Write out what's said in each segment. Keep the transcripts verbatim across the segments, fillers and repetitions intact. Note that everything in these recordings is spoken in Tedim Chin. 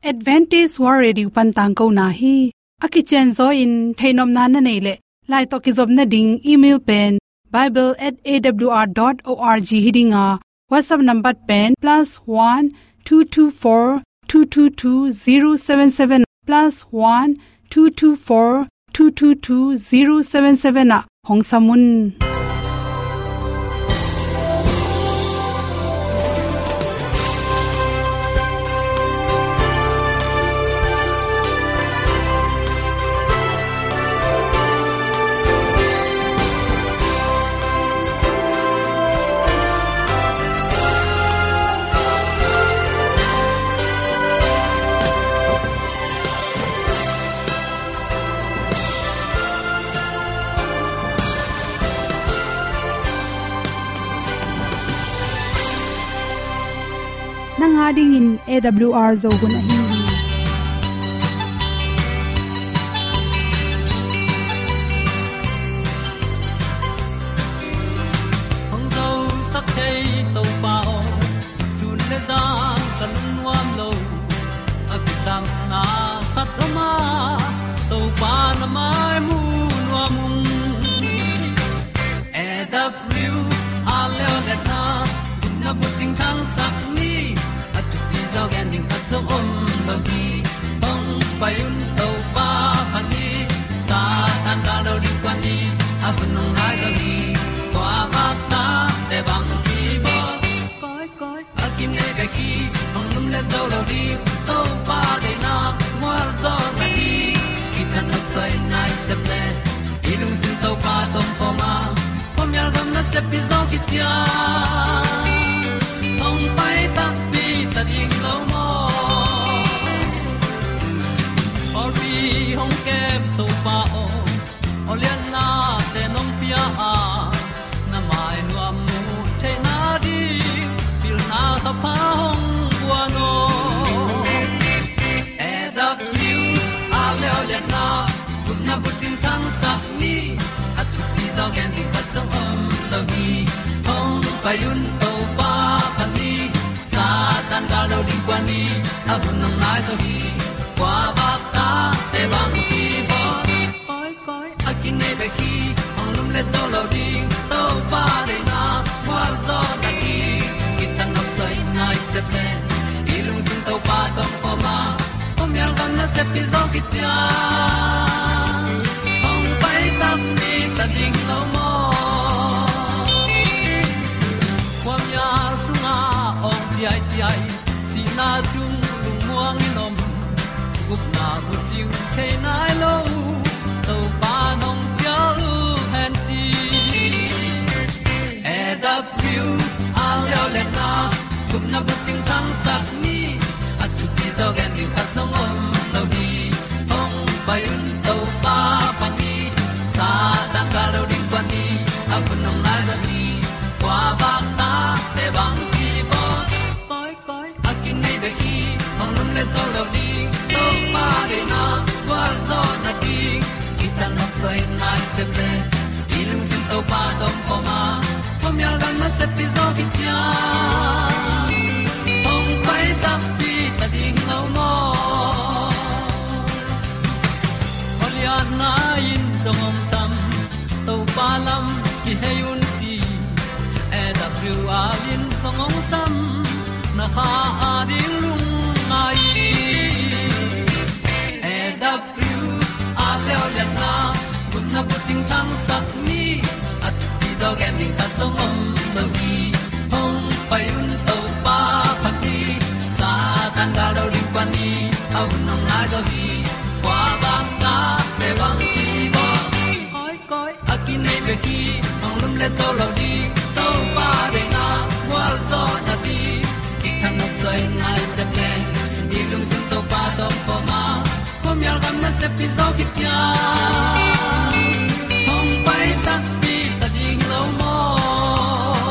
Adventist World Radio pan tangkona hi. A kicianzaw in theihnopna na neih leh, lai tawh kizopna ding email pen bible at A W R dot org hi ding a, WhatsApp number pen plus one two two four two two two zero seven seven, plus one two two four two two two zero seven seven ah hong sam un. Nang a dingin A W R Zo hun ahi hi. Hong zosak thei Topa aw, sun le zan ka lungnuam lo. A kisapna khat om a, Topa na mai mu nuam ung. A W R leo le na, na bucing thangsak ni, a thupi zaw gen ding khat zong om lo hi. Hong pai un Topa phat ni, Satan gal lo ding kuan ni, a hun hong nai zaw hi. Kua vak ta te bang ki bawl. Koi, koi, a kinei bek hi, hong lum le zo lo ding, Topa deihna mual zaw na hi. Kitang nok soi nai sep le, i lungsim Topa tawh kawm a, khuamial gam nasep pi zaw kician. Hong pai takpi ta ding lo maw? Pawlpi hong kem Topa aw, aw lianna te nong pia a, na mai nuam mu theihna ding, pilna ka pha hong guan aw. A W R leo le na, gupna bucing thangsak ni, a thupi zaw gen ding khat zong om lo hi. Hong pai un Topa phat ni, Satan gal lo ding kuan ni, a hun hong nai zaw hi. Kua vak ta te bang ki bawl. Koi, koi, a kinei bek hi, hong lum le zo lo ding, Topa deihna mual zaw na hi. Kitang nok soi nai sep le, i lungsim Topa tawh kawm a, khuamial gam nasep pi zaw kician. Hong pai takpi ta ding lo maw? Khuamial sungah awng ciaiciai, sihna sung lungmuang in om, gupna bucing thei nai lo, Topa nong cial hen ci. A W R leo le na, gupna bucing thangsak ni, a thupi zaw gen ding khat zong om lo hi. Hong pai un Topa phat ni, Satan gal lo ding kuan ni, a hun hong nai zaw hi. Kua vak ta te bang ki bawl. Koi, koi, a kinei bek hi, hong lum le zo lo ding, Topa deihna gual zaw na ding. Kitang nok soi nai sep le, i lungsim Topa tawh kawm a, khuamial gam nasep pi zaw kician. Hong pai takpi ta ding lo maw? Aw lianna in zong hong sam, Topa lam kihei un ci. A W R in zong hong sam, na kha a ding lungngai. A W R leo le na, gupna bucing thangsak ni, a thupi zaw gen ding khat zong om lo hi. Hong pai un Topa phat ni, Satan gal lo ding kuan ni, a hun hong nai zaw hi. Kua vak ta te bang ki bawl. Koi, koi, a kinei bek hi, hong lum le zo lo ding, Topa deihna gual zaw na ding. Kitang nok soi nai sep le, i lungsim Topa tawh kawm a, khuamial gam nasep pi zaw kician. Hong pai takpi ta ding lo maw?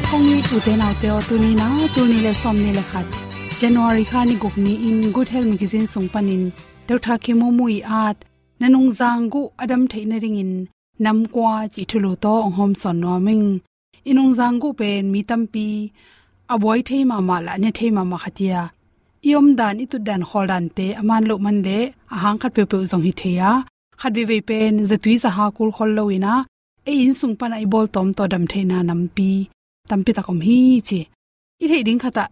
Kong it u te nau te aw, tuni na, tul nih le sawmnih le khat, January kha ni guk ni-in Good Health Magazine sung panin Doctor Khemumu ii at, na nungzang guh a dam theih nadingin nam kua cih thulu tawh hong hawmsawn nuam ing. I nungzang guh pen mi tampi a buai thei mahmah le a ne thei mahmah khat hi a, i omdan, i tutdan, khawldante a man loh man leh a hang khat peuhpeuh zong hi thei a, khat veivei pen zatui zaha kul khol lo-in ah, ei inn sung panah i bawltawm tawh dam theihna nampi tampi tak om hi ci. I theih ding khatah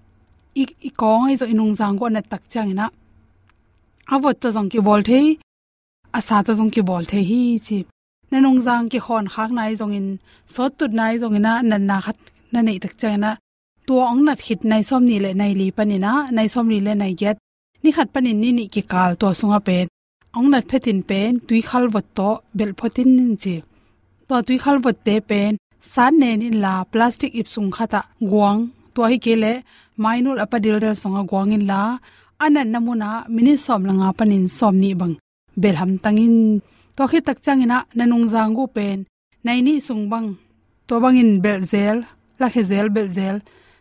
i, i kawng ahi zong i nungzang guh a nat tak ciangin ah, a vot tawh zong kibawl thei, a sa tawh zong kibawl thei hi ci. Na nungzang kikhawn khakna ahi zongin, sawt tutna ahi zongin ah, natna khat na neih tak ciangin ah, tua hong nat khit nai sawmnih le nai li panin ah, nai sawmli le nai giat, ni khat panin ni nih kikal tua sungah pen hong nat phetin pen tuikhal vot tawh belh phot in ci. Tua tuikhal votte pen sat nen inla, plastic ip sung khatah guang, tua hi kei leh mainul a pa dildel sungah guang inla, a natna munah minit sawm le nga panin sawmnih bang belh hamtang in. Tua khit tak ciangin ah na nungzang guh pen nai nih sung bang, tua bangin belh zel, lakhia zel, belh zel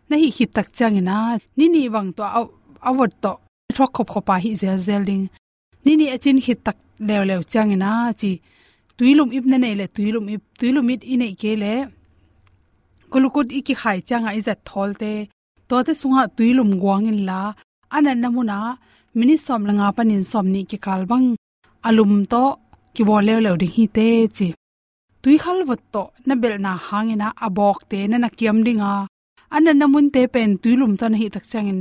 na hih khit tak ciangin ah, ni nih bang tua a, a vot tawh thuak khopkhop a hih zelzel ding. Ni nih a cin khit tak leuleu ciangin ah ci, tuilum ip na neih leh tuilum ip, tuilum ip i neih kei leh glucose i kikhai ciangah i zat thawlte, tuate sungah tuilum guang inla, a natna munah minit sawm le nga panin sawmnih kikal bang a lum tawh kibawl leuleu ding hi teh ci. Tuikhal vot tawh na belhna hangin ah a bawkte na na kiam ding a, a natna munte pen tuilum tawh na hih tak ciangin,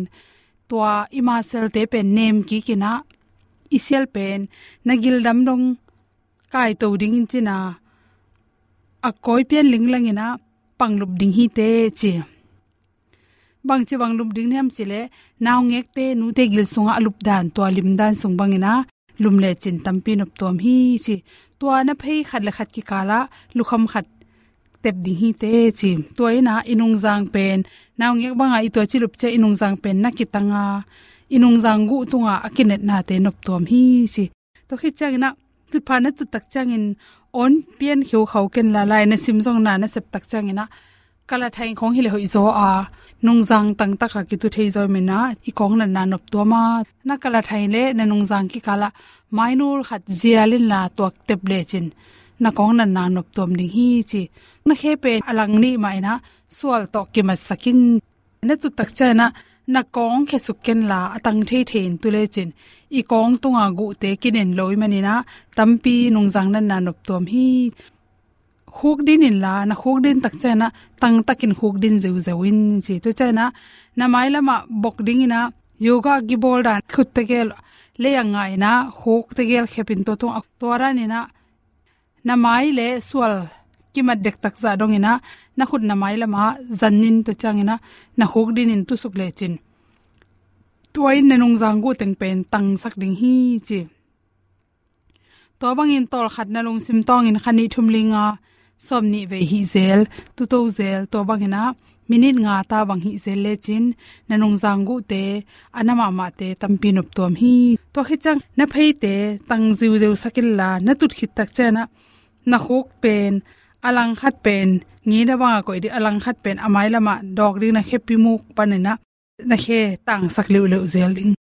tua i muscle-te pen nem kik in ah, i sial pen na gildam dong kaito ding in cin ah, a kawi pian linglang in ah pang lup ding hi teh ci. Bangci bang lup ding hiam cih leh, naungekte, nute gil sungah a lupdan, tua limdan sung bangin ah lum lecin tampi noptuam hi ci. Tua na phei khat le khat kikalah lukham khat tep ding hi teh ci. Tua in ah i nungzang pen, naungek bangah i tua ci lup ciang i nungzang pen na kitang a, i nungzang guh tungah a kinetnate noptuam hi ci. Tua khit ciangin ah, tutpha na tut tak ciangin awn pian kheukhau ken la, lai na sim zong na na sep tak ciangin ah, kalathai khawng hi leh hoih zaw a, nungzang tangtak a kitu thei zaw i hih manin ah, i kawng natna noptuam a, na kalathai leh na nungzang kikalah mainul khat zial inla tuak tep lecin, na kawng natna noptuam ding hi ci. Na khe pen a lang nih mah in ah sual tawh kimatsak in. Na tut tak ciangin ah, na kawng khesuk ken la, a tang theithei in tu lecin, i kawng tunga guhte kinen lo i hih manin ah, tampi nungzang natna noptuam hi. Khukdin inla, na khukdin tak ciangin ah, tangtakin khukdin zeuzeu in ci. Tua ciangin ah, na mailamah bok dingin ah, yoga kibawl dan khut tegel lei a nga in ah, khuk tegel khep in tua tungah, tua danin ah, na mai le sual kimat dektak zah dongin ah, na khut na mailamah zan in, tua ciangin ah, na khukdin in tusuk lecin, tua in na nungzang guh teng pen tangsak ding hi ci. Tua bangin tawlkhat na lungsim tawngin kha nih thum li nga sawmnih vei hih zel, tuto zel, tua bangin ah minit nga ta bang hih zel lecin, na nungzang guhte, a na mahmahte tampi noptuam hi. Tua khit ciang na pheite tang ziuzeu sak inla, na tut khit tak ciangin ah, na khuk pen a lang khat pen ngeina bangah koih ding, a lang khat pen a mailamah dawk ding, na khepi muk panin ah na khe tangsak leuhleuh zel ding.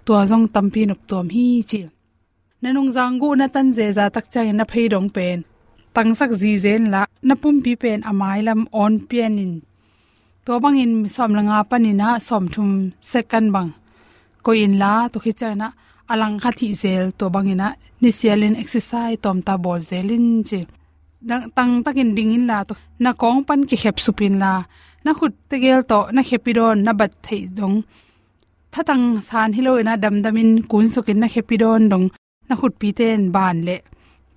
Tua zong tampi noptuam hi ci. Na nungzang guh na tan zeza tak ciangin na phei dong pen tangsak zizen la, na pumpi pen a mailam awn pian in, tua bangin sawm le nga panin ah sawmthum second bang koih inla, tua khit ciangin ah a lang khat hih zel, tua bangin ah nisialin exercise tawmta bawl zel in ci. Tangtakin ding inla, tua na kawng pan kikhep sup inla, na khut tegel tawh na khepi dawn, na bat theih dong, thatang san hi loin ah damdamin kunsukin na khepi dawn dong, na khutpite in ban leh,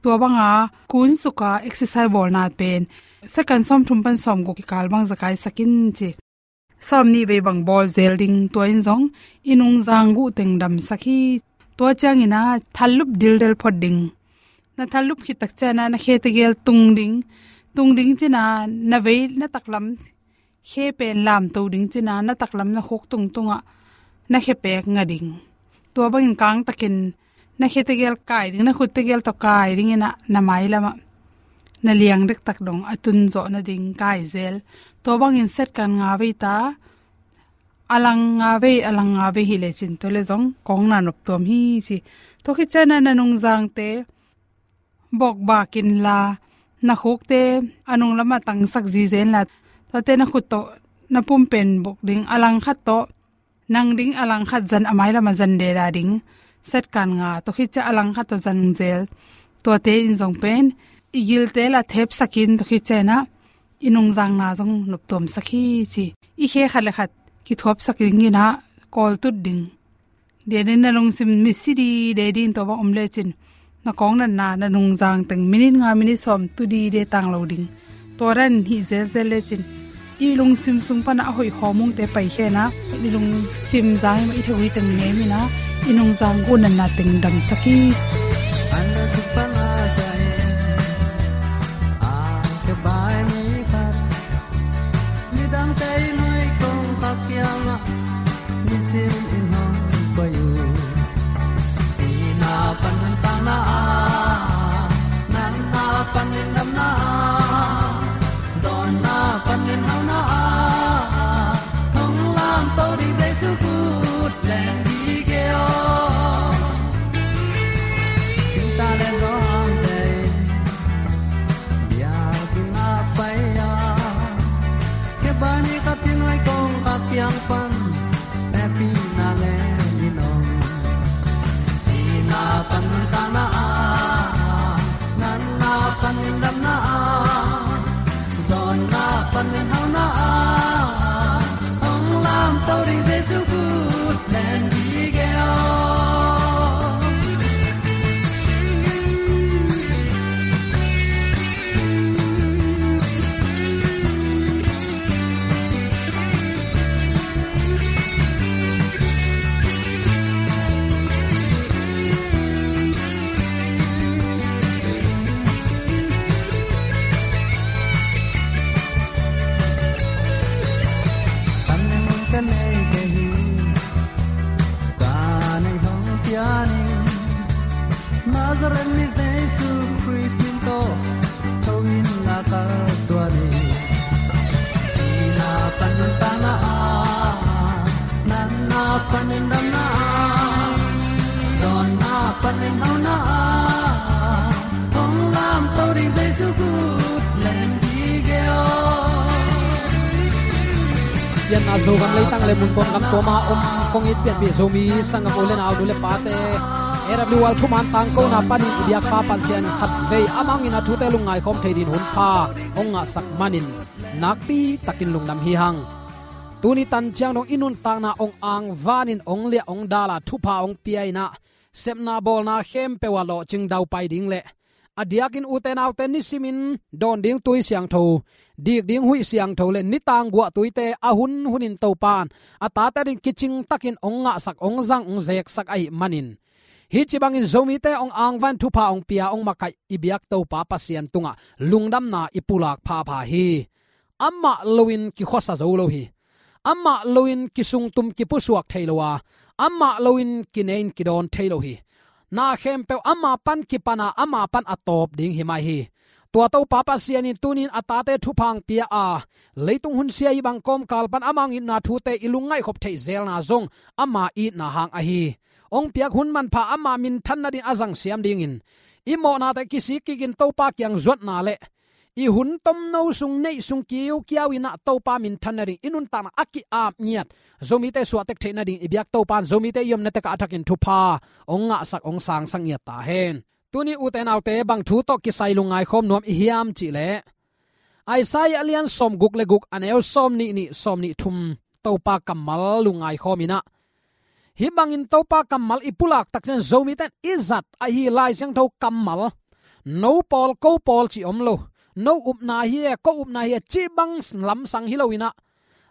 tua banga kunsuka exercise bawlna pen second sawmthum pan sawmguk kikal bang zakaisak in ci. Sawmnih vei bang bawl zel ding, tua in zong i nungzang guh teng damsak hi. Tua ciangin ah thallup dildel phot ding. Na thallup khit tak ciangin ah na khe tegel tung ding. Tung ding cin ah na vei, na taklam khe pen lamto ding cin ah, na taklam na khuk tungtungah na khe pek nga ding. Tua bangin kangtakin na khe tegel kai ding, na khut tegel tawh kai dingin ah, na mailamah na liang dektak dong a tun zawh nading kai zel. Tua bangin second nga vei ta, a lang nga vei, a lang nga vei hi lecin, tua leh zong kawng natna noptuam hi ci. Tua khit ciangin ah na nungzangte bokbak inla, na khukte a nunglamah tangsak zizen la, tuate na khut tawh na pumpen bok ding, a lang khat tawh Nang ding a langkhat zan a mailam a zan deda ding. Satkan nga, tua khit ciang a langkhat tawh zan zel. Tuate in zong pen i gilte la thepsakin tua khit ciang inah i nungzangna zong noptuamsak hi ci. I khe khat le khat kithuapsak ding inah kawltut ding. Dia den na lungsim misi dide ding tua bang om lecin na kawng natna na nungzang teng minit nga minit sawm tu dide tang lo ding. Tua dan hih zelzel lecin i lungsim sung pana a hoih hawmungte paikhia inah i lungsim zang i mah i thagui teng nem inah i nungzang gu natna teng damsak hi. Midangte i nuai kong kha kiangah nisim in hong pai uh. Sihna pan nuntakna ah, natna pan in damna ah, zawnna pan in hauna ah, hong lamto ding Jesu kut len dih ge aw. Thingtang le zawngte in biakinn ah pai a, Khebai ni khat i nuai kong kha kiang pan hehpihna le in om. Sihna pan nuntakna ah, natna pan in damna ah, zawnna pan in hauna ah, hong lamto ding Jesu kut len dih ge aw. Kan nei mun ka nei kei hi, ka nei hong pian in, Nazareth mi Jesu Khrist min tawh tho in la ka suan hi. Sihna pan nuntakna ah, natna pan in damna ah, zawnna pan in hauna ah, hong lamto ding Jesu kut len dih ge aw. Pianna Zogam leitang le mun tuam gam tuama om kong it pianpih Zomi sanggam u le nau, nu le pate, A W R thuman tangkona panin i biakpa Pasian khatvei amah hangin a thute lungngai khawm thei din hun pha hong ngahsak manin nakpi takin lungdam hi hang. Tuni tan ciang dong i nuntakna hong angvanin hong liah hong dala thupha hong pia inah sepna bawlna khempeuh ah lawhcing daupai ding le a diakin ute naute nisimin dawn ding tui siangtho, dik ding huih siangtho le nitang guah tuite a hun hunin Topan a tate ding kicing takin hong ngahsak, hong zang, hong zeksak ahih manin, hih ci bangin Zomite hong angvan thupha hong pia hong makaih i biak Topa Pasian tungah lungdamna i pulak phapha hi. Amah loin kikhuasa zo lo hi. Amah loin kisungtum kipusuak thei lo a, amah loin kine in kidawn thei lo hi. Na khempeuh ama pan kipana, ama pan a tawp ding hi mai hi. Tua Topa Pasian in tunin a tate thupha hong pia a, leitung hunsia hih bang kawmkal pan amah hong itna thute i lungngaih khop theih zelna zong ama itna hang ahi. Hong piak hun manpha ama minthan nading a zangsiam dingin i mawhnate kisik kikin Topa kiang zuatna le i hun tomno sung neih sung kiukiau inah Topa minthan nading i nuntakna a ki-ap ngiat Zomite suahtek theih nading i biak Topan Zomite i omna tekah a thakin thupha hong ngahsak, hong sangsak ngiat ta hen. Tuni ute naute, bang thu tawh kisai lungngai khawm nuam i hiam cihleh, Isaiah a lian sawmguk le guk, a neu sawmnih nih, sawmnih thum Topa kammal lungngai khawm inah, hih bangin Topa kammal i pulak takciang Zomite in i zat ahi Lai Siangtho kammal, no pawl ko pawl cih om lo, no upna hi e, ko upna hi e cih bang lamsang hi lo inah,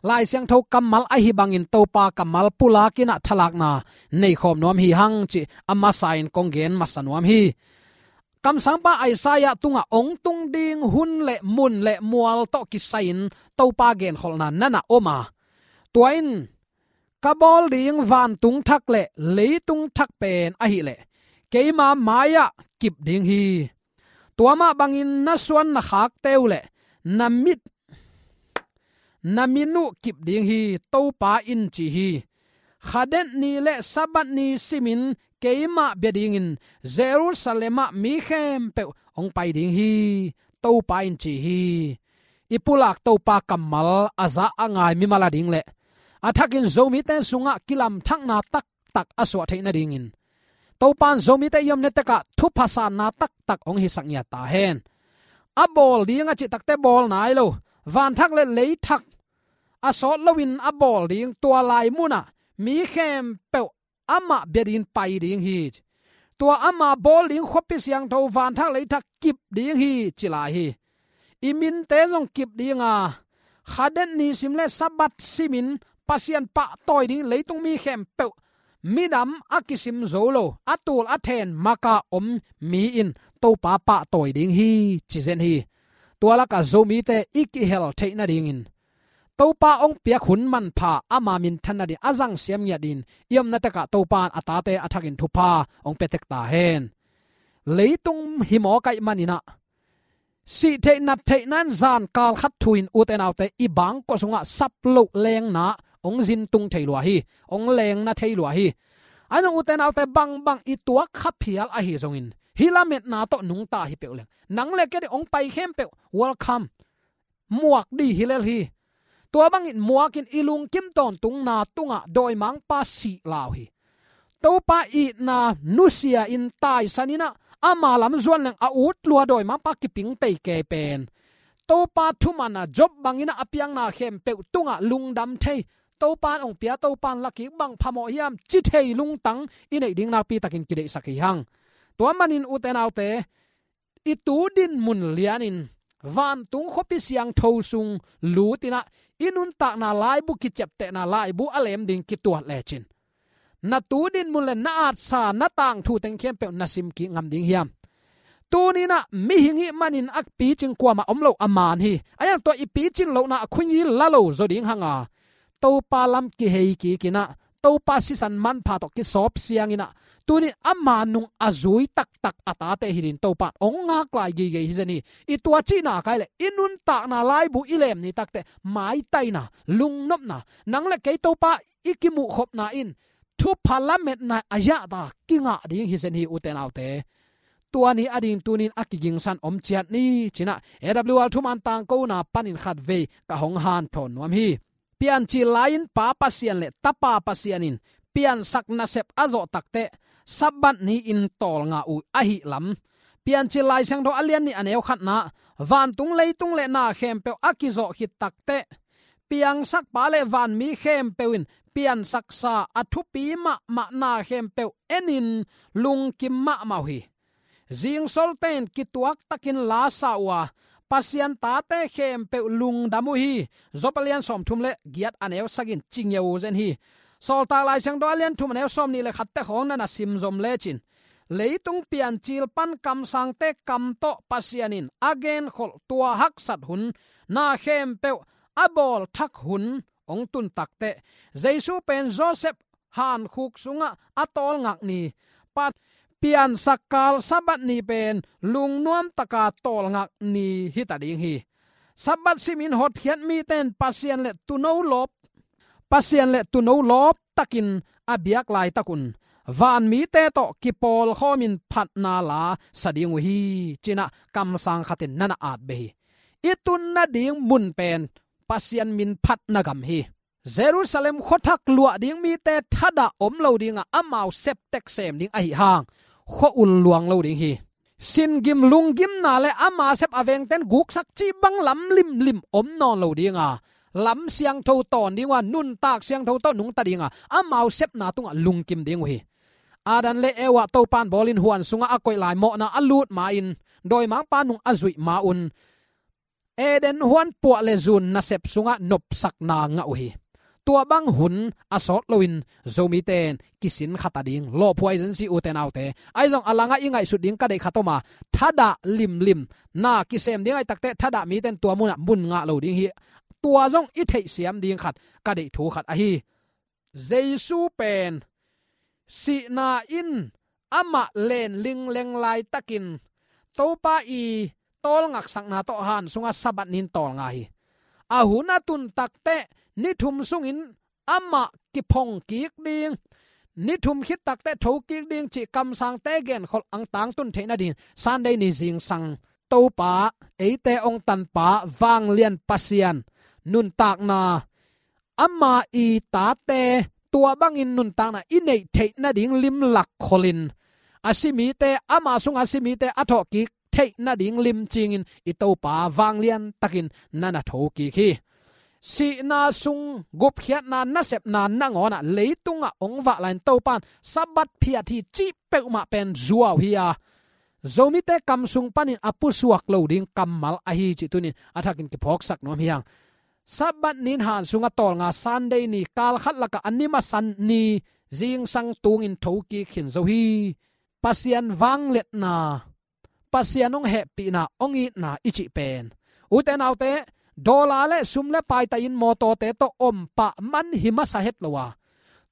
Lai Siangtho kammal ahi bangin Topa kammal pulak inah thalakna nei khawm nuam hi hang cih a masa in kong gen masa nuam hi. Kamsangpa Isaiah tungah hong tung ding hun le mun le mual tawh kisai-in Topa genkholhna na na om a, tua in, ka bawl ding vantung thak le leitung thak pen ahih leh keima mai-ah kip ding hi. Tua mah bangin na suan na khakte uh le na mit, na min uh kip ding hi, Topa in ci hi. Khadet ni le Sabbath ni simin keimah bia dingin Jerusalem ah mi khempeuh hong pai ding hi, Topa in ci hi. I pulak Topa kammal a za a ngai mimal a ding le a thakin Zomite sungah kilamthakna taktak a suah theih nadingin Topan Zomite i omna tekah thupha sanna taktak hong hisak ngiat ta hen. A bawl ding a cih takte bawl nai lo, vanthak le leithak a sawt loin a bawl ding, tua lai munah mi khempeuh amah bia dingin pai ding hi. Tua ama bawl ding khuapi siangtho vanthak leithak kip ding hi, ci lai hi. I minte zong kip ding a, Khadet ni sim le Sabbath simin Pasian pahtawi ding, leitung mi khempeuh, midam a kisim zo lo, a tul a then maka om mi in Topa pahtawi ding hi, ci zen hi. Tua lakah Zomite i kihel theih nadingin Topa hong piak hun manpha ama minthan nading a zang siam ngiat in, i omna tekah Topa in a tate a thakin thupha hong pia tek ta hen. Leitung hi mawk ahih manin ah, sih theih nat theih nan zan kal khat thu in, ute naute, i bangkua sungah sap loh lengna hong zin tung thei lua hi, hong lengna thei lua hi. Ahi zong, ute naute, bangbang i tuak kha phial ahi zongin, hih lametna tawh nungta hi peuh leng, nang le kei ding hong pai khempeuh welcome. Muak dih hi lel hi. Tua bangin muakin i lungkim tawntungna tungah dawimangpa sih lau hi. Topa itna nusia in taisan in ah, ama lam zuan leng a ut lua dawimangpa kiping pei kei pen, Topa thuman a Job bangin ah a piangna khempeuh tungah lungdam thei, Topa in hong pia, Topa in la kik, bang phamawh hiam, ci thei lungtang i neih ding nakpi takin kideihsak hi hang. Tua manin, ute naute, i tu dinmun lianin vantung khuapi siangtho sung lut in ah, i nuntakna laibu, kiciaptehna laibu a lem ding kituat lecin, na tu dinmun le na atsa, na tangthu teng khempeuh na sim kik ngam ding hiam? Tuni in ah mihing hih manin a picing kuamah om lo, a man hi. Ahi zong tua i picin lohna a khunyi la lo zaw ding hang a, Topa lam kihei kik in ah, Topa sisan manpha tawh kisawp siang in ah, tuni in ama nung a zui taktak a tate hi dingin Topa in hong ngak lai gige hi zen hi. I tua cihna kai leh, i nuntakna laibu i lem ni takteh maitaina, lungnopna, nang le kei Topa i kimuhkhopna in thupha lametna a yahta kingah ding hi zen hi, ute naute. Tua ni ading tuni in a kigingsan om ciat ni, ci in ah A W R thuman tangkona panin khatvei ka hong hanthawn nuam hi. Piancil lai-in Pa Pasian le Tapa Pasian in piansak nasep a zawh takteh Sabbath ni-in tawlnga uh ahih lam, Piancil Lai Siangtho a lian nih a neu khatna, vantung leitung le na khempeuh a kizawh khit takteh, piangsakpa le vanmi khempeuh in piansaksa a thupi mahmah na khempeuh enin lungkim mahmah uh hi. Zingsolte in kituaktakin la sa uh a, Pasian tate khempeuh lungdam uh hi. Job a lian sawmthum le giat a neu sagih in ci ngeu zen hi. Sawltak Lai Siangtho a lian thum a neu sawmnih le khatte khawng na na simzom lecin, leitung piancil pan kamsangte kam tawh Pasian in a genkholh tua haksat hun, na khempeuh a bawlthak hun hong tun takteh, Jesu pen Joseph hankhuk sungah a tawlngak ni, pa-, piansakkal Sabbath ni pen lungnuamtaka tawlngak ni hita ding hi. Sabbath simin hotkhiat mite in Pasian le Tuuno lawp, Pasian le Tuuno lawptakin a biak laitakun vanmite tawh kipawlkhawmin phatna la sa ding uh hi, ci in ah kamsang khat in na na at beh hi. I tun nading mun pen Pasian min phatna gam hi. Jerusalem khuathak luah ding mite thadah om lo ding a, amau septek sem ding ahih hang, khua-ul luang lo ding hi. Singim lunggimna le ama sep a vengten guksak cih bang lam limlim om nawn lo ding a, lam siangtho tawn ding uh a, nuntak siangtho tawh nungta ding a, amau sepna tungah lungkim ding uh hi. Adam le Eva Topan bawlin huan sungah a koih lai mawhna a lut ma-in, dawimangpa nung a zuih ma-un, Eden huan puah le zun nasep sungah nopsakna ngah uh hi. Tua bang hun a sawt loin Zomite in kisin khata ding lawphuai zen si, ute naute. Ahi zong a langah i ngaihsut ding ka deih khat om a, thadah limlim na kisem ding ahih takteh thadah mite in tua munah mun ngah lo ding hi. Tua zong i theihsiam ding khat, ka deih thu khat ahi. Jesu pen sihna in amah len lingleng laitakin Topa i tawlngaksakna tawh han sungah Sabbath ni-in tawlnga hi. A hun a tun takteh ni thum sungin amah kiphong kik ding, ni thum khit takteh tho kik ding cih kamsangte genkholh ang tangtun theih nading Sunday ni zingsang Topa, eite hong tanpa vanglian Pasian nuntakna ama i tate tua bangin nuntakna i neih theih nading lim lakkholhin, a si mite, ama sunga a si mite a thawhkik theih nading lim cingin i Topa vanglian takin na na thokik hi. Sihna sung gupkhiatna nasepna nangawnah leitungah hong vah lai-in Topa in Sabbath phiat hi cih peuhmah pen zuau hi a, Zomite kam sung panin a pusuak lo ding kammal ahi cih tunin a thakin kiphawksak nuam hi hang. Sabbath nin han sunga tawlnga Sunday ni, kalkhat lakah a ni masa ni zingsang tungin thokik khin zo hi. Pasian vangliatna, Pasian hong hehpihna, hong itna i cih pen, ute naute, dollar le sum le paita in mawtawte tawh om pah man hi masa het lo a,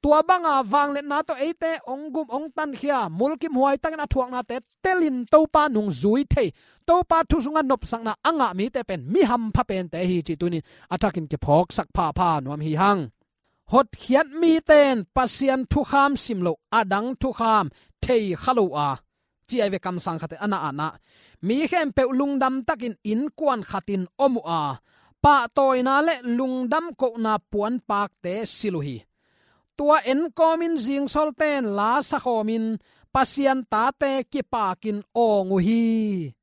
tua banga vangliatna tawh eite hong gum hong tankhia, mulkimhuai takin a thuaknate telin Topa nungzui thei, Topa thu sunga nopsakna a ngah mite pen mi hampha pente hi cih tunin a thakin kiphawksak phapha nuam hi hang. Hotkhiat mite in Pasian thukham sim loh, a dang thukham thei kha lo a, ci ai ve, kamsang khat in a na ah, mi khempeuh lungdam takin innkuan khatin om uh a, pahtawina le lungdam kohna puanpakte silh uh hi. Tua enkawmin zingsawlte in la sakhawmin Pasian tate kipakin awng uh hi.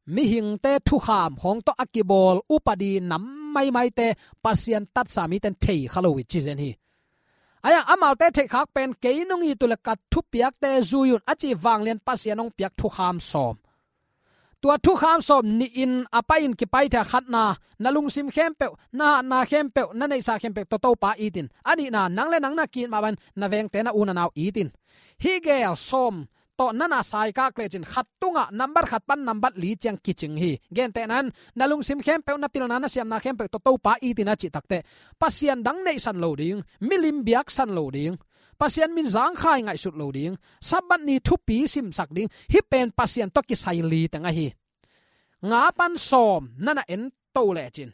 Mihingte thukham khawng tawh a kibawl upadi nam maimaite Pasian tatsa mite in thei kha lo hi ci zen hi. Ahi hang amaute theihkhak pen, kei nong it uh leh ka thupiakte zui un, a ci vanglian Pasian hong piak thukham sawm. Tua thukham sawm nihin a pai-in kipai thei a, khatna, na lungsim khempeuh, na hatna khempeuh, na neihsa khempeuh tawh Topa it in. A nihna, nang le nang na ki-it mah bangin na vengte, na u na nau it in. Hih gel sawm tawh na na saikak lecin khat tungah nambat khat pan nambat li ciang kicing hi. Gentehna in, na lungsim khempeuh, na pilna, na siamna khempeuh tawh Topa it in a cih takteh, Pasian dang neihsan lo ding, milim biaksan lo ding, Pasian min zangkhai ngaihsut lo ding, Sabbath ni thupi simsak ding, hih pen Pasian tawh kisai li teng ahi. Nga pan sawm na na en to lecin,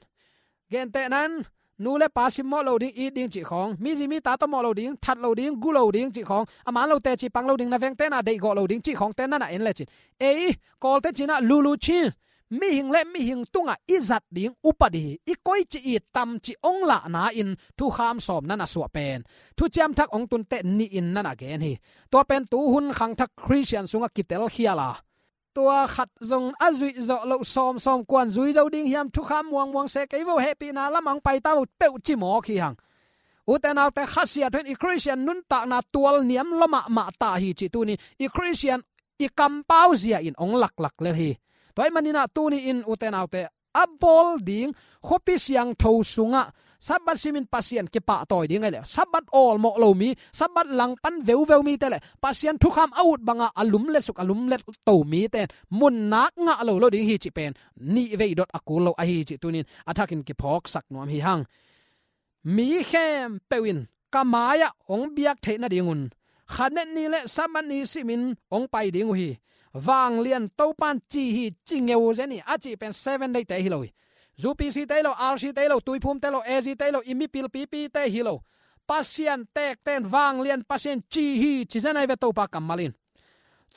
gentehna in, nu le pa simmawh lo ding, it ding cih khawng, mizi mita tawh mawh lo ding, that lo ding, gu lo ding cih khawng, a man lo teci pang lo ding, na vengte na deihgawh lo ding cih khawngte na na en lecin, ei Kawlte cinah lulu chin, mihing le mihing tungah i zat ding upadi, i koici i tamci hong lahna-in thukham sawm na na suah pen, thuciam thak hong tun teh nihin na na gen hi. Tua pen tuhun khangthak Khristian sungah kitelkhial a, tua khat zong a zuih zawh loh sawmsawm kuan zui zo ding hiam, thukham muangmuang se kei vo, hehpihna lamah hong paita vo peuh ci mawk hi hang. Ute naute, khasiat hun i Khristian nuntakna tual niam lua mahmah ta hi cih tuni i Khristian i kampau zia in hong laklak lel hi. Tua ahih maninah tuni-in ute naute, a bawl ding khuapi siangtho sungah Sabbath simin Pasian kipahtawi ding ahih leh, Sabbath awlmawh lo mi, Sabbath langpan veuveu mite le Pasian thukham a ut banga a lumlet suk, a lumlet to mite in mun nak ngah lo lo ding hi cih pen nihvei dot a kul lo ahi cih tunin a thakin kiphawksak nuam hi hang. Mi khempeuh in ka mai-ah hong biak theih nadingun, khanet ni le Sabbath ni simin hong pai ding uh hi. Vanglian Topan ci hi, ci ngeu zen hi, a cih pen Seven Day-te hi lo hi. U P C-te hi lo, R C-te hi lo, Tuiphum-te hi lo, A Z-te hi lo, i mipil pipi-te hi lo. Pasian tekte in, vanglian Pasian ci hi, ci zen ahi ve Topa kammal in.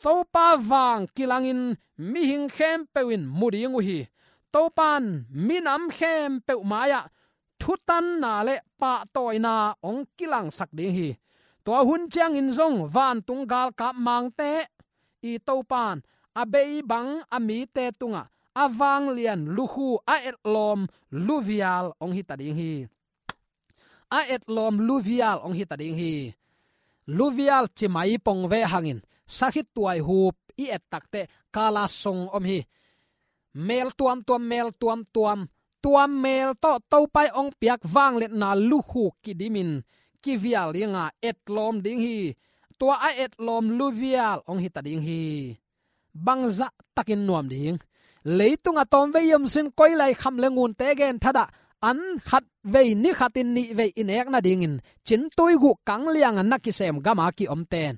Topa vang kilangin mihing khempeuh in mu ding uh hi. Topan minam khempeuh mai-ah thutanna le pahtawina hong kilangsak ding hi. Tua hun ciangin zong vantung galkap mangte i Topan a bei bang a mite tungah a vanglian lukhu, a etlawm luvial hong hita ding hi. A etlawm luvial hong hita ding hi. Luvial ci mai pong ve hangin, sakhituai hup i et takteh kala song om hi. Mel tuamtuam, mel tuamtuam, tua mel tawh Topa in hong piak vangliatna lukhu kidimin kivial dinga etlawm ding hi. Tua a etlawm luvial hong hita ding hi. Bangzah takin nuam ding? Leitung a tawmvei i om sun koi lai kham le ngunte genthadah an khatvei ni khatin nihvei i nek nadingin cintui guh kang lianga na kisem gama ki-omten,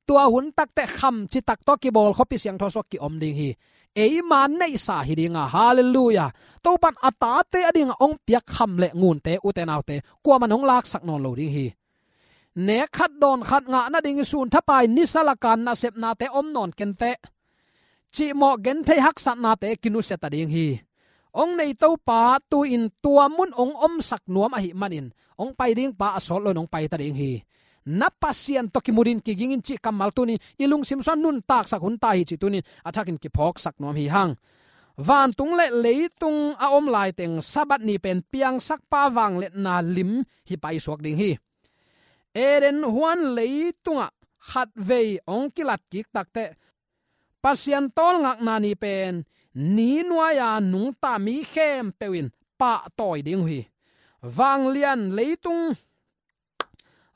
tua hun takteh kham citak tawh kibawl khuapi siangtho sungah ki-om ding hi. Eima neihsa hi dinga, halleluiah, Topan a tate a dinga hong piak kham le ngunte, ute naute, kuaman hong laksak nawn lo ding hi. Nek khat dawn khat ngah nadingin sunthapai nisa laka nasepnate om nawn kenteh, cihmawh genthei haksatnate kinusia ta ding hi. hong nei Topa tu-in tua mun hong omsak nuam ahih manin hong pai ding pa a sawt loin hong pai ta ding hi. Na Pasian tawh kimu dingin kiging in cih kammal tuni-in i lungsim sungah nuntaksak hun ta hi cih tuni-in a thakin kiphawksak nuam hi hang. Vantung le leitung a om laiteng Sabbath ni pen piangsakpa vangliatna lim hi paisuak ding hi. Eden huan leitungah khatvei hong kilatkik takteh Pasian tawlngakna ni pen ni nuai-a nungta mi khempeuh in pahtawi ding uh hi. Vanglian leitung,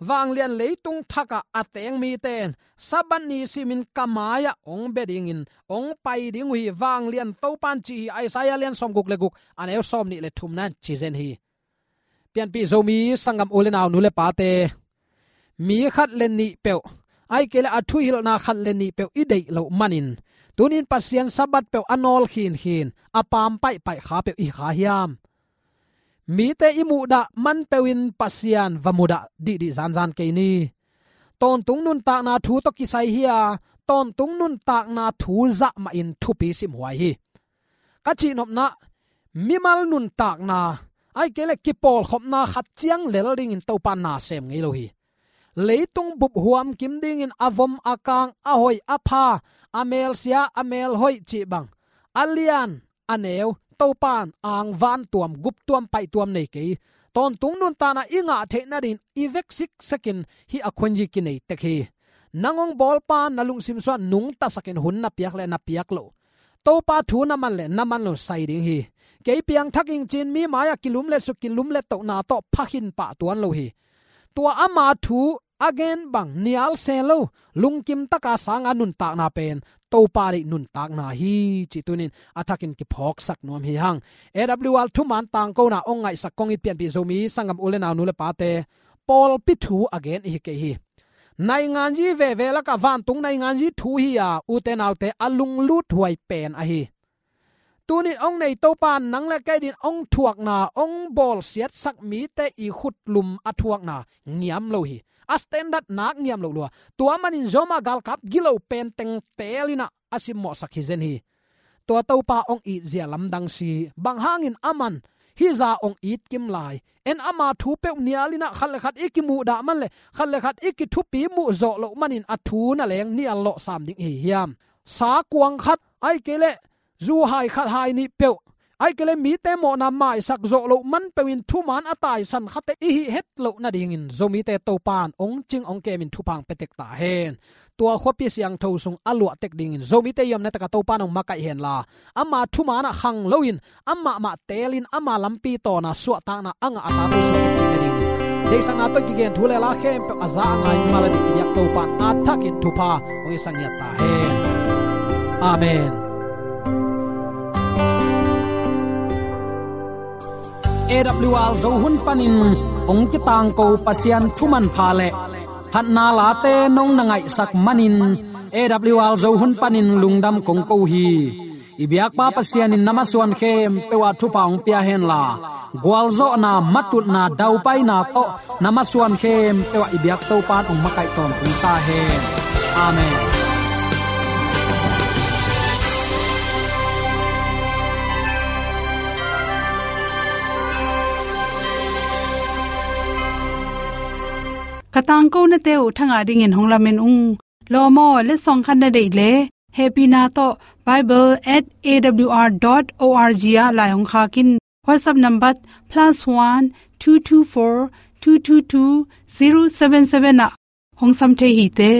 vanglian leitung thakah a teng mite in Sabbath ni simin ka mai-ah hong bia dingin hong pai ding uh hi. Vanglian Topa in ci hi. Isaiah lian sawmguk le guk, a neu sawmnih le thumna in ci zen hi. Pianpih Zomi sanggam u le nau, nu le pate, mi khat le nih peuh, ahih kei leh a thuhilhna khat le nih peuh i deih loh manin tuni-in Pasian Sabbath peuh a nawl khinkhin, a paam paihpaih kha peuh i hi kha hiam? Mite i muhdah man peuhin Pasian va mudah dihdih zanzan kei ni. Tawntung nuntakna thu tawh kisai hi-a, tawntung nuntakna thu zah mahin thupi simhuai hi. Ka cihnopna, mimal nuntakna, ahih kei leh kipawlkhopna khat ciang lel dingin Topa in na sem ngei lo hi. Leitung bup huam kim dingin a vom a kang, a hoih a pha, a melsia a melhoih cih bang, a lian a neu Topa in ang vantuam, guptuam, paihtuam nei kei. Tawntung nuntakna i ngah theih nadingin i vek siksekin hih a khuanyi kinei tek hi. Nang hong bawlpa in na lungsim sungah nungtasakin hun na piak le na piak loh, Topa thu na man le na man lo sai ding hi. Kei piangthak ing ci-in mi mai-ah kilumletsuk, kilumlettohna tawh pha khin pah tuan lo hi. Tua ama thu a gen bang nial se lo, lungkim taka sanga nuntakna pen Topa deih nuntakna hi cih tuni-in a thakin kiphawksak nuam hi hang. A W R thuman tangkona hong ngaihsak kong it pianpih Zomi sanggam u le nau, nu le pate, pawlpi thu a gen i hi kei hi. Nainganzi veve lakah vantung nainganzi thu hi-a, ute naute, a lungluthuai pen ahi. Tuni-in hong nei Topa in nang le kei dingin hong thuakna, hong bawlsiatsak mite i khutlum a thuakna ngiam lo hi. A standard nak ngiam lo lua. Tua manin Roma galkap gilo pen teng teelin ah a simmawhsak hi zen hi. Tua Topa hong itzia lamdang si, bang hangin aman hih zah hong it kim lai? En ama thu peuh nialin ah khat le khat i kimuhdah man le khat le khat i kithupi muh zawh loh manin a thu na leng nial lawhsam ding i hi hiam? Sa kuang khat, ahih kei leh zu hai khat hai nih peuh, ahih kei leh mite mawhna maisak zawh loh man peuhin thuman a taisan khate i hih het loh nadingin Zomite Topa in hong cing hong kemin thupha hong pia tek ta hen. Tua khuapi siangtho sung a luah tek dingin Zomite i omna takah Topa in hong makaih henla, ama thuman ah khang loin amah mah teelin ama lampi tawna suahtakna a ngah a tate suak i pi nadingin deihsakna tawh kigen thu le la khempeuh a za a ngai mal a dih i biak Topa in a thakin thupha hong hisak ngiat ta hen. Amen. A W R Zo hun panin hong kitangko Pasian thu manpha le phatna late nong na ngaihsak manin A W R Zo hun panin lungdam kong ko hi. I biakpa Pasian in na masuan khempeuh ah thupha hong pia henla, gualzawhna, matutna, daupaina tawh na masuan khempeuh ah i biak Topa in hong makaih tawntung ta hen. Amen. Ka tangkonate uh thangah dingin hong lamen ung. Lawm aw, letsong khat na deih leh hehpihna tawh bible at A W R dot O R G ah lai hong khak in. WhatsApp number plus one two two four two two two zero seven seven ah hong sam thei hi te.